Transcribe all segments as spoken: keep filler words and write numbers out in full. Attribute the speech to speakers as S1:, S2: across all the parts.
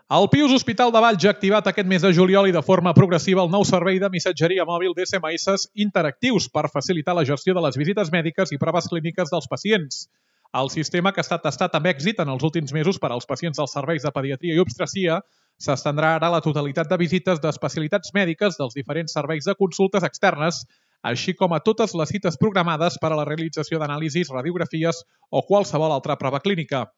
S1: El Pius Hospital de Valls ha activat aquest mes de juliol i de forma progressiva el nou servei de missatgeria mòbil d'S M S interactius per facilitar la gestió de les visites mèdiques i proves clíniques dels pacients. El sistema, que ha estat testat amb èxit en els últims mesos per als pacients dels serveis de pediatria i obstetria, s'estendrà ara a la totalitat de visites d'especialitats mèdiques dels diferents serveis de consultes externes, així com a totes les cites programades per a la realització d'anàlisis, radiografies o qualsevol altra prova clínica.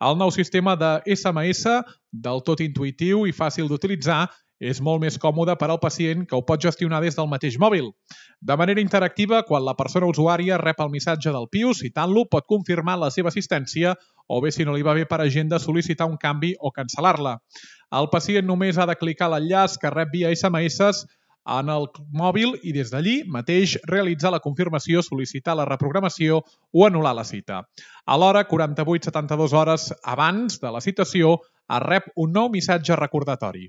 S1: El nou sistema de S M S, del tot intuïtiu i fàcil d'utilitzar, és molt més còmode per al pacient, que ho pot gestionar des del mateix mòbil. De manera interactiva, quan la persona usuària rep el missatge del Pius, citant-lo, pot confirmar la seva assistència o bé, si no li va bé per agenda, sol·licitar un canvi o cancel·lar-la. El pacient només ha de clicar l'enllaç que rep via S M S en el mòbil i des d'allí mateix realitzar la confirmació, sol·licitar la reprogramació o anul·lar la cita. Alhora, quaranta-vuit a setanta-dues hores abans de la citació, es rep un nou missatge recordatori.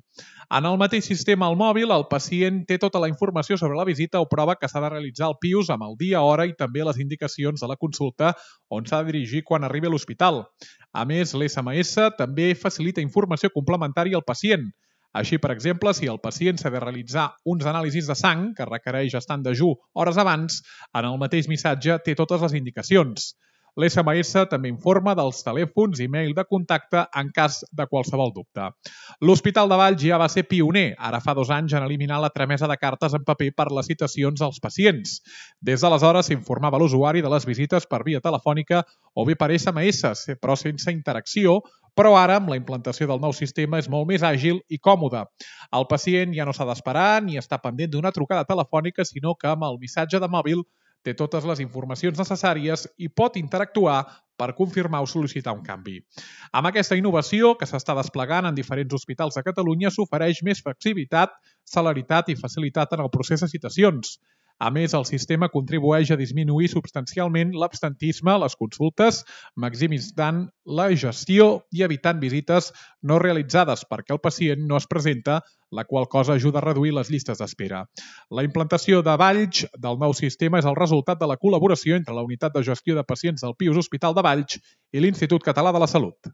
S1: En el mateix sistema al mòbil, el pacient té tota la informació sobre la visita o prova que s'ha de realitzar al Pius amb el dia, hora i també les indicacions de la consulta on s'ha de dirigir quan arribi a l'hospital. A més, l'S M S també facilita informació complementària al pacient. Així, per exemple, si el pacient s'ha de realitzar uns anàlisis de sang, que requereix estar en dejú hores abans, en el mateix missatge té totes les indicacions. L'S M S també informa dels telèfons i mail de contacte en cas de qualsevol dubte. L'Hospital de Valls ja va ser pioner, ara fa dos anys, en eliminar la tramesa de cartes en paper per les citacions als pacients. Des d'aleshores s'informava l'usuari de les visites per via telefònica o bé per S M S, però sense interacció, però ara, amb la implantació del nou sistema, és molt més àgil i còmode. El pacient ja no s'ha d'esperar ni està pendent d'una trucada telefònica, sinó que amb el missatge de mòbil té totes les informacions necessàries i pot interactuar per confirmar o sol·licitar un canvi. Amb aquesta innovació, que s'està desplegant en diferents hospitals de Catalunya, s'ofereix més flexibilitat, celeritat i facilitat en el procés de citacions. A més, el sistema contribueix a disminuir substancialment l'absentisme a les consultes, maximitzant la gestió i evitant visites no realitzades perquè el pacient no es presenta, la qual cosa ajuda a reduir les llistes d'espera. La implantació de Valls del nou sistema és el resultat de la col·laboració entre la Unitat de Gestió de Pacients del Pius Hospital de Valls i l'Institut Català de la Salut.